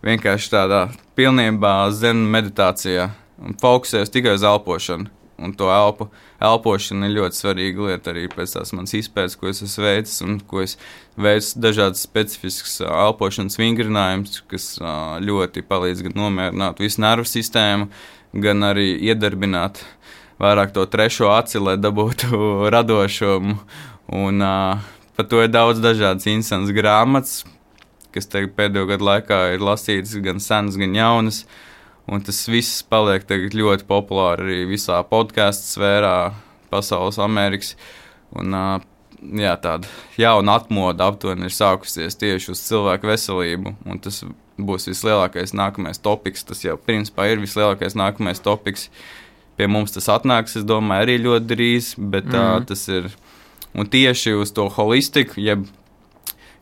vienkārši tādā pilnībā zen meditācijā un fokusējos tikai uz elpošanu. Un to elpu, elpošana ir ļoti svarīga lieta arī pēc tās manas izpētes, ko es esmu veicis un ko es veicu dažādas specifiskas uh, elpošanas vingrinājumus, kas uh, ļoti palīdz gan nomierināt visu nervu sistēmu, gan arī iedarbināt vairāk to trešo aci, lai dabūtu radošumu. Un uh, par to ir daudz dažādas interesantas grāmatas, kas tagad pēdējo gadu laikā ir lasītas gan senas, gan jaunas. Un tas viss paliek tagad ļoti populāri arī visā podcastu sfērā, pasaules Amerikas. Un uh, jā, tāda jauna atmoda aptuveni ir sākusies tieši uz cilvēku veselību. Un tas būs vislielākais nākamais topiks. Tas jau principā ir vislielākais nākamais topiks. Pie mums tas atnāks, es domāju, arī ļoti drīz, bet mm. uh, tas ir, un tieši uz to holistiku, jeb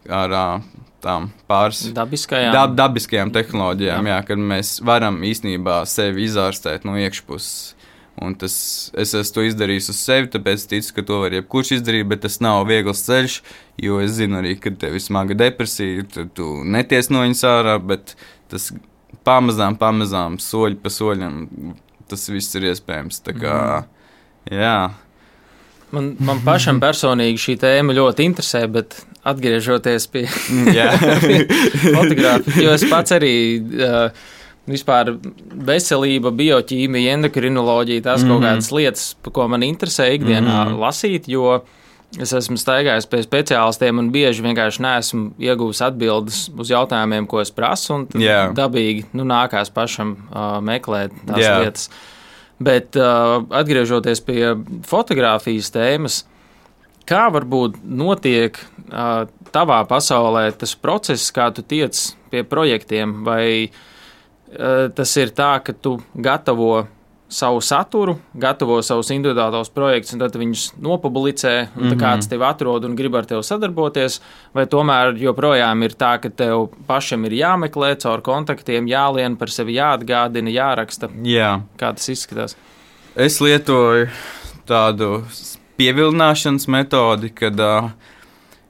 ar uh, tām pāris dabiskajām, dab, dabiskajām tehnoloģijām, jā. Jā, kad mēs varam īstenībā sevi izārstēt no iekšpuses. Un tas, es esmu to izdarījis uz sevi, tāpēc ticu, ka to var jebkurš izdarīt, bet tas nav viegls ceļš, jo es zinu arī, ka tev ir smaga depresija, tad tu neties no viņas ārā, bet tas pamazām, pamazām, soļi pa soļam, tas viss ir iespējams. Tā kā, jā. Man, man pašam personīgi šī tēma ļoti interesē, bet atgriežoties pie, pie fotogrāfijas, jo es pats arī uh, vispār veselība, bioķīmija, endokrinoloģija, tās mm-hmm. kaut kādas lietas, ko man interesē ikdienā mm-hmm. lasīt, jo es esmu staigājis pie speciālistiem un bieži vienkārši neesmu ieguvis atbildes uz jautājumiem, ko es prasu, un yeah. dabīgi nu, nākās pašam uh, meklēt tās yeah. lietas. Bet uh, atgriežoties pie fotogrāfijas tēmas, kā varbūt notiek uh, tavā pasaulē tas process, kā tu tiec pie projektiem, vai uh, tas ir tā, ka tu gatavo savu saturu, gatavo savus individuālos projektus, un tad viņus nopublicē, un mm-hmm. kāds tevi atrod un grib ar tevi sadarboties, vai tomēr joprojām ir tā, ka tev pašam ir jāmeklē caur kontaktiem, jālien par sevi, jāatgādina, jāraksta? Jā. Kā tas izskatās? Es lietoju tādu pievilināšanas metodi, kad uh,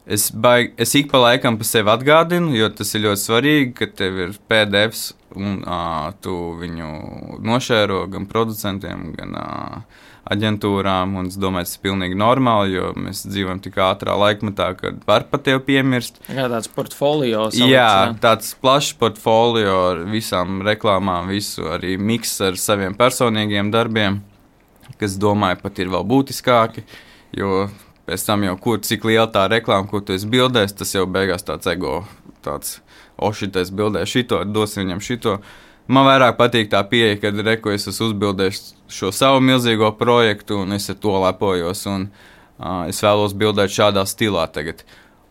es, baig, es ik pa laikam pa sevi atgādinu, jo tas ir ļoti svarīgi, ka tev ir P D Fs, un uh, tu viņu nošēro gan producentiem, gan uh, aģentūrām, un es domāju, tas ir pilnīgi normāli, jo mēs dzīvojam tik ātrā laikmetā, kad var pat tevi piemirst. Jā, tāds portfolio. Salikts, jā, tāds plašs portfolio ar visām reklāmām, visu arī miks ar saviem personīgiem darbiem, kas, domāju, pat ir vēl būtiskāki, jo pēc tam jau, kur, cik liela tā reklāma, ko tu esi bildējis, tas jau beigās tāds ego, tāds o, šitais bildē šito, dosim viņam šito. Man vairāk patīk tā pieeja, kad reku es esmu uzbildējis šo savu milzīgo projektu, un es ar to lepojos, un uh, es vēlos bildēt šādā stilā tagad.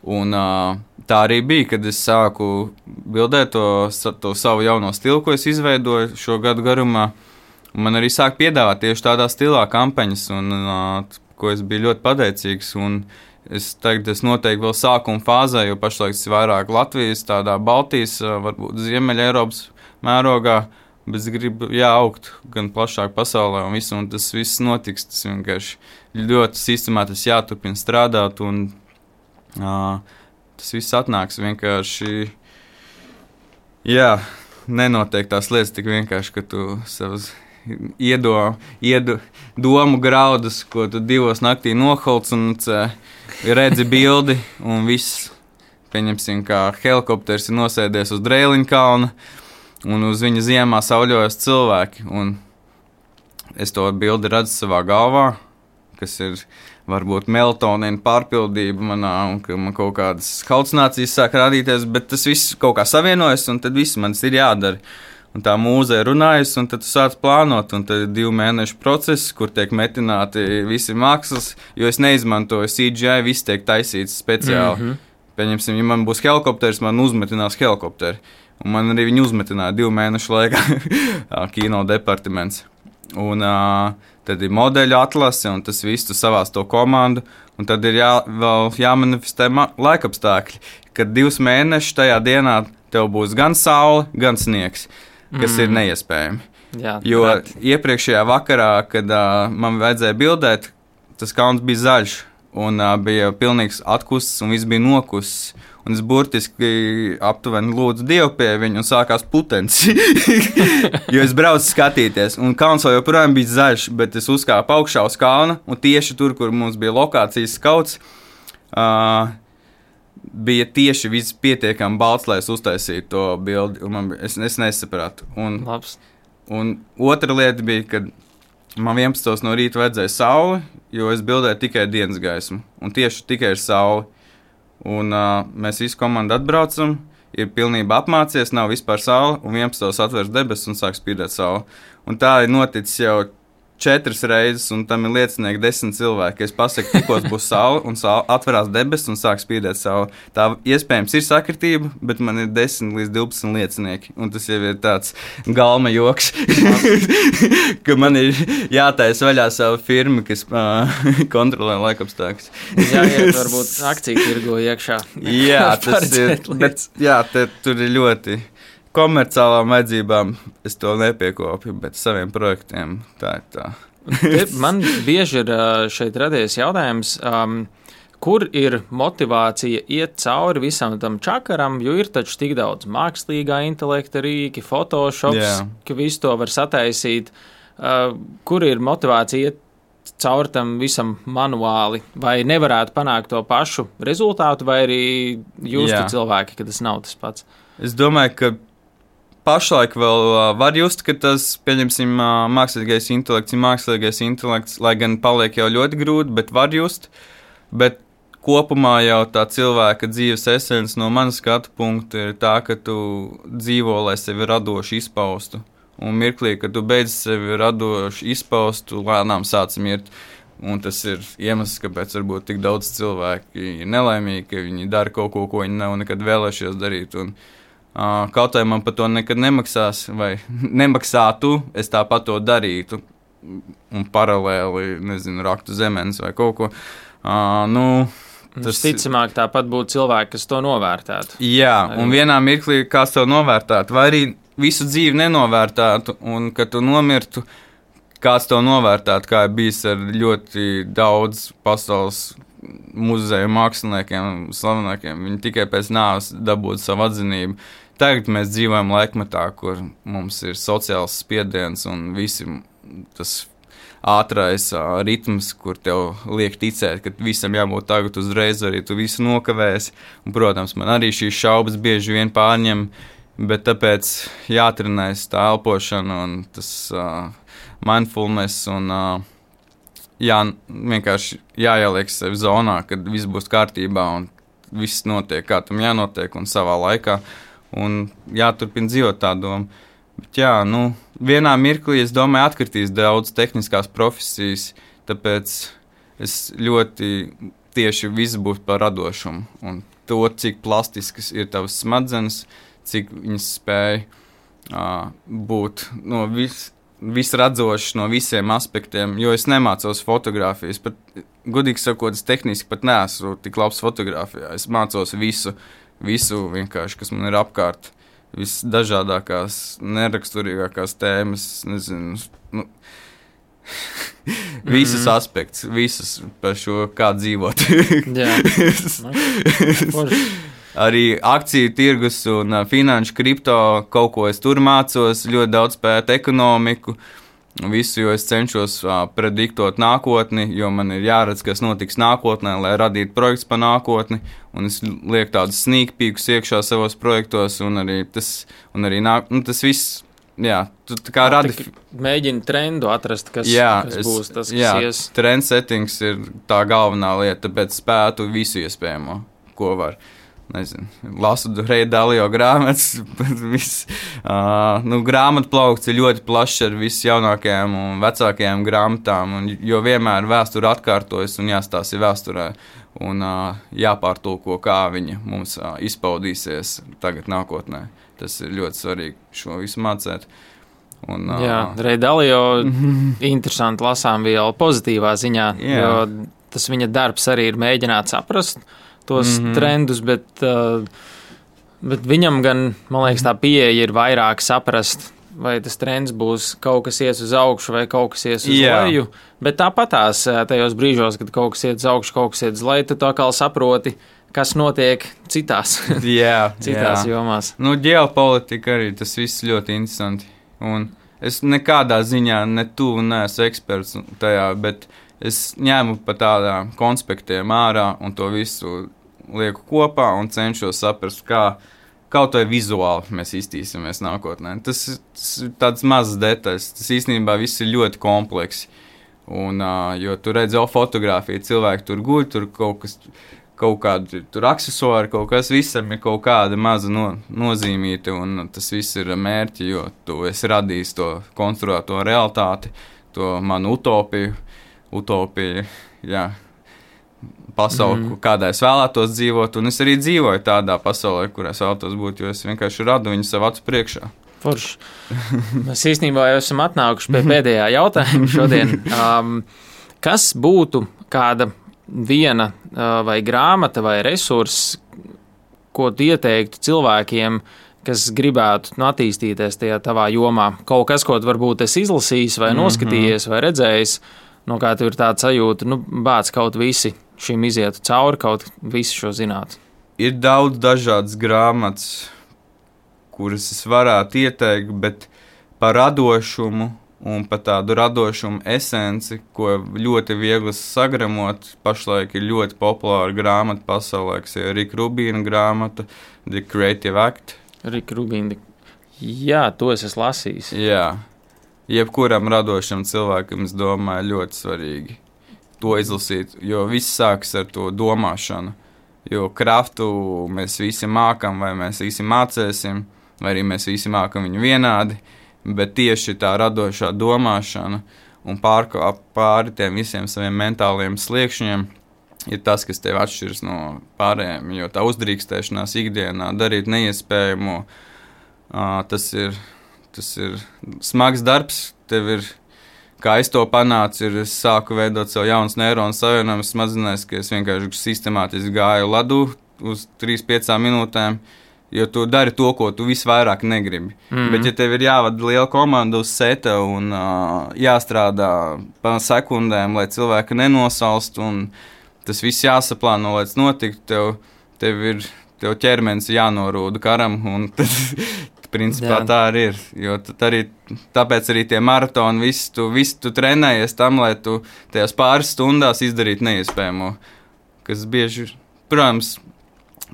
Un uh, tā arī bija, kad es sāku bildēt to, to savu jauno stilu, ko es izveidoju šo gadu garumā. Man arī sāk piedāvāt tieši tādā stilā kampaņas, un uh, ko es biju ļoti pateicīgs, un es tagad es noteikti vēl sākuma fāzē, jo pašlaik tas ir vairāk Latvijas, tādā Baltijas, varbūt Ziemeļa Eiropas mērogā, bet es gribu, jā, augt gan plašāk pasaulē un visu, un tas viss notiks, tas vienkārši ļoti sistemātiski jāturpina strādāt, un uh, tas viss atnāks vienkārši, jā, nenotiek tās lietas tik vienkārši, ka tu savas iedo, iedo domu graudus, ko tu divos naktī noholc un uh, redzi bildi, un viss, pieņemsim, kā helikopters ir nosēdies uz Drēliņa kalna, un uz viņa ziemā sauļojas cilvēki, un es to bildi redzu savā galvā, kas ir varbūt melatonīna pārpildība manā, un ka man kaut kādas halucinācijas sāk rādīties, bet tas viss kaut kā savienojas, un tad viss man ir jādara. Un tā mūze ir runājusi, un tad tu sāc plānot, un tad ir divu mēnešu process, kur tiek metināti visi mākslas, jo es neizmantoju C G I, viss tiek taisīts speciāli. Mm-hmm. Pieņemsim, ja man būs helikopters, man uzmetinās helikopteri, un man arī viņi uzmetināja divu mēnešu laikā kino departaments. un uh, tad ir modeļu atlase, un tas viss tu savās to komandu, un tad ir jā, vēl jāmanifestē laikapstākļi, kad divus mēnešus tajā dienā tev būs gan saule, gan sniegs, kas mm. ir neiespējami. Jā, jo prāt. iepriekšējā vakarā, kad uh, man vajadzēja bildēt, tas kalns bija zaļš, un uh, bija pilnīgs atkusis, un viss bija nokusis. Un es burtiski aptuveni lūdzu Dievu pie viņa, un sākās putenis. Jo es braucu skatīties, un kalns vēl joprojām bija zaļš, bet es uzkāpu augšā uz kalna, un tieši tur, kur mums bija lokācijas skauts, uh, bija tieši viss pietiekami balts, lai es uztaisītu to bildi, un man, es, es nesapratu. Un, Labs. un otra lieta bija, kad man vienpadsmitos no rīta vajadzēja sauli, jo es bildēju tikai dienas gaismu, un tieši tikai ir sauli. Un uh, mēs visu komandu atbraucam, ir pilnībā apmācies, nav vispār saule, un vienpadsmitos atveras debesis un sāk spīdēt saule. Un tā ir noticis jau četras reizes, un tam ir liecinieki desmit cilvēki. Es pasaku, tikos būs saule, un saule atverās debesis un sāk spīdēt saule. Tā iespējams ir sakritība, bet man ir desmit līdz divpadsmit liecinieki, un tas jau ir tāds galma joks, ka man ir jātaisa vaļā savu firmu, kas uh, kontrolē laikapstākļus. Jāiet varbūt akciju tirgo iekšā. Jā, tas ir, bet jā, te, tur ir ļoti komerciālām vajadzībām es to nepiekopju, bet saviem projektiem tā ir tā. Man bieži ir šeit radies jautājums, um, kur ir motivācija iet cauri visam tam čakaram, jo ir taču tik daudz mākslīgā intelekta rīki, Photoshops, yeah. ka visu to var sataisīt. Uh, kur ir motivācija iet cauri tam visam manuāli, vai nevarētu panākt to pašu rezultātu, vai arī justu yeah. cilvēki, ka tas nav tas pats? Es domāju, ka pašlaik vēl uh, var just, ka tas, pieņemsim, uh, mākslīgais intelekts ir mākslīgais intelekts, lai gan paliek jau ļoti grūti, bet var just. Bet kopumā jau tā cilvēka dzīves esence no manas skatu punkta ir tā, ka tu dzīvo, lai sevi radoši izpaustu. Un mirklī, kad tu beidz sevi radoši izpaustu, lēnām sāc mirt. Un tas ir iemesls, kāpēc varbūt tik daudz cilvēki ir nelaimīgi, ka viņi dara kaut ko, ko viņi nav nekad vēlējušies darīt. Un, Uh, kaut vai man par to nekad nemaksās, vai nemaksātu, es tāpat to darītu, un paralēli, nezinu, raktu zemenes vai kaut ko. Uh, nu, tas ticamāk tāpat būtu cilvēki, kas to novērtētu. Jā, un vienā mirklī kāds to novērtētu, vai arī visu dzīvi nenovērtētu, un kad tu nomirtu, kāds to novērtētu, kā ir bijis ar ļoti daudz pasaules muzeju māksliniekiem, slavenākiem. Viņi tikai pēc nāves dabūtu savu atzinību. Tagad mēs dzīvojam laikmetā, kur mums ir sociāls spiediens un visi tas ātrais uh, ritms, kur tev liek ticēt, ka visam jābūt tagad uzreiz, arī tu visu nokavēsi. Un, protams, man arī šīs šaubas bieži vien pārņem, bet tāpēc jātrenēs tā elpošana un tas uh, mindfulness un uh, jā, vienkārši jāieliek sevi zonā, kad viss būs kārtībā un viss notiek, kā tam jānotiek un savā laikā. Un jāturpina dzīvot tā doma. Bet jā, nu, vienā mirklī, es domāju, atkritīs daudz tehniskās profesijas, tāpēc es ļoti tieši viss būs par radošumu. Un to, cik plastiskas ir tavas smadzenes, cik viņas spēj uh, būt no vis, visradzošas no visiem aspektiem, jo es nemācos fotogrāfijas. Pat, godīgi sakot, es tehniski pat neesmu tik labs fotogrāfijā. Es mācos visu. Visu vienkārši, kas man ir apkārt, visdažādākās, neraksturīgākās tēmas, nezinu, nu, visas mm. aspekts, visas par šo, kā dzīvot. Jā. Arī akciju tirgus un uh, finanšu kripto, kaut ko es tur mācos, ļoti daudz pēt ekonomiku, visu, jo es cenšos uh, prediktot nākotni, jo man ir jāredz, kas notiks nākotnē, lai radītu projekts par nākotni, un es lieku tādus sneak peekus iekšā savos projektos, un arī tas, un arī nāk, nu, tas viss, jā, tu tā kā radi... Mēģini trendu atrast, kas, jā, kas es, būs tas, kas jā, ies. Trend settings ir tā galvenā lieta, tāpēc spētu visu iespējamo, ko var. Nezinu, lasu Reja Dalio grāmatas, viss, uh, nu, grāmatu plaukts ir ļoti plašs ar visu jaunākajām un vecākajām grāmatām, un, jo vienmēr vēsture atkārtojas un jāstāsta vēsturē, un uh, jāpārtulko, kā viņa mums uh, izpaudīsies tagad nākotnē. Tas ir ļoti svarīgi šo visu mācēt. Un, jā, Ray Dalio interesanti lasām vielu pozitīvā ziņā, jā. jo tas viņa darbs arī ir mēģināt saprast tos mm-hmm. trendus, bet, bet viņam gan, man liekas, tā pieeja ir vairāk saprast, vai tas trends būs kaut kas ies uz augšu vai kaut kas ies uz jā. leju, bet tāpatās tajos brīžos, kad kaut kas iet uz augšu, kaut kas iet uz leju, tu tā kā saproti, kas notiek citās, jā, citās jā. jomās. Nu, ģeopolitika arī, tas viss ļoti interesanti. Un es nekādā ziņā ne tu neesmu eksperts tajā, bet es ņēmu pa tādām konspektiem ārā un to visu lieku kopā un cenšos saprast, kā kaut vai vizuāli mēs iztīsimies nākotnē. Tas ir tāds mazs detaļas. Tas īstenībā viss ir ļoti kompleksi. Un, uh, jo tu redzi jau fotografiju, cilvēki tur guļ, tur kaut kas, kaut kādi tur aksesuāri, kaut kas visam ir kaut kāda maza no, nozīmīta, un tas viss ir mērķi, jo tu esi radījis to konstruēto realitāti, to manu utopiju, utopiju, jā. Pasauli, mm. kādā es vēlētos dzīvot, un es arī dzīvoju tādā pasaulē, kurā es vēlētos būt, jo es vienkārši radu viņu savu acu priekšā. Forši. Mēs īstenībā jau esam atnākuši pie pēdējā jautājuma šodien. Um, kas būtu kāda viena uh, vai grāmata vai resurss, ko tu ieteiktu cilvēkiem, kas gribētu nu, attīstīties tajā tavā jomā? Kaut kas, ko tu varbūt esi izlasījis vai noskatījies mm-hmm. vai redzējis, no kā tu ir tāda sajūta, nu, bāc kaut visi šim izietu cauri, kaut visu šo zinātu. Ir daudz dažādas grāmatas, kuras es varētu ieteikt, bet par radošumu un par tādu radošumu esenci, ko ļoti viegli sagramot, pašlaik ir ļoti populāra grāmata pasaulē, kas ir Rika Rubīna grāmata, The Creative Act. Rika Rubīna, jā, to es esmu lasījis. Jā, jebkuram radošam cilvēkam, es domāju, ļoti svarīgi to izlasīt, jo viss sākas ar to domāšanu, jo kraftu mēs visi mākam, vai mēs visi mācēsim, vai arī mēs visi mākam viņu vienādi, bet tieši tā radošā domāšana un pārkāp pāri tiem visiem saviem mentāliem sliekšņiem ir tas, kas tev atšķiras no pārējiem, jo tā uzdrīkstēšanās ikdienā darīt neiespējamo, tas ir, tas ir smags darbs, tev ir. Kā es to panācu, ir, es sāku veidot savu jaunas neironu savienojumus smadzenēs, ka es vienkārši sistemātiski gāju ladu uz trīs piecām minūtēm, jo tu dari to, ko tu visvairāk negribi. Mm-hmm. Bet, ja tev ir jāvada liela komanda uz seta un uh, jāstrādā pa sekundēm, lai cilvēki nenosalst, un tas viss jāsaplāno, lai tas notiktu, tev, tev ir tev ķermenis jānorūda karam, un tad... Principā jā. Tā arī ir, jo arī, tāpēc arī tie maratoni, visu tu, visu tu trenējies tam, lai tu tajās pāris stundās izdarītu neiespējamo, kas bieži, protams,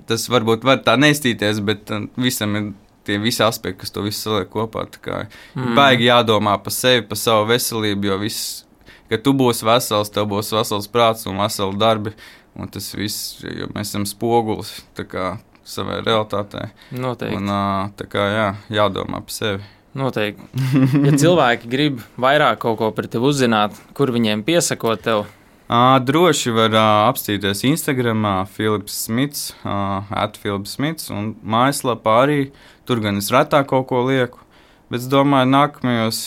tas varbūt var tā neiztīties, bet visam ir tie visi aspekti, kas to visu saliek kopā, tā kā mm. baigi jādomā pa sevi, pa savu veselību, jo viss, ka tu būsi vesels, tev būs vesels prāts un veseli darbi, un tas viss, jo mēs esam spogulis, tā kā savai realitātei. Noteikti. Un tā kā jā, jādomā par sevi. Noteikti. Ja cilvēki grib vairāk kaut ko par tevi uzzināt, kur viņiem piesakot tev? À, droši var uh, apstīties Instagramā Filips Smits, uh, at Filips Smits, un mājaslapā arī, tur gan es retāk kaut ko lieku, bet es domāju nākamajos,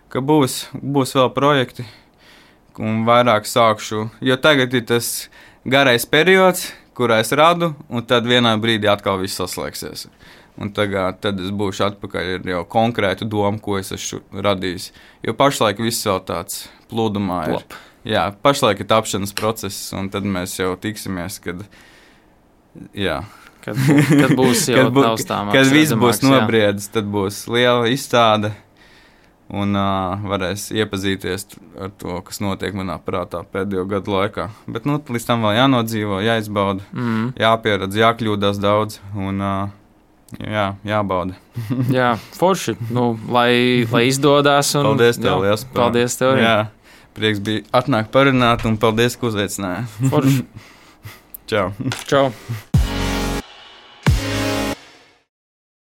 ka būs, būs vēl projekti, un vairāk sākšu, jo tagad ir tas garais periods, kurā es radu, un tad vienā brīdī atkal viss saslēgsies. Un tagad, tad es būšu atpakaļ ar jau konkrētu domu, ko es esmu radījis. Jo pašlaik viss vēl tāds plūdumā ir. Plop. Jā, pašlaik ir tapšanas process, un tad mēs jau tiksimies, kad, jā. Kad, kad būs jau kad bū, taustāmāks. Kad viss būs nobriedis, tad būs liela izstāde. Un uh, varēs iepazīties ar to, kas notiek manā prātā pēdējo gadu laikā. Bet nu, līdz tam vēl jānodzīvo, jāizbauda, mm. jāpieredz, jākļūdās daudz un uh, jā, jābauda. Jā, forši, nu, lai, lai izdodas. Un, paldies tev, liels. Paldies tev. Jā, prieks bija atnākt parunāt un paldies, ka uzaicināji. Forši. Čau. Čau.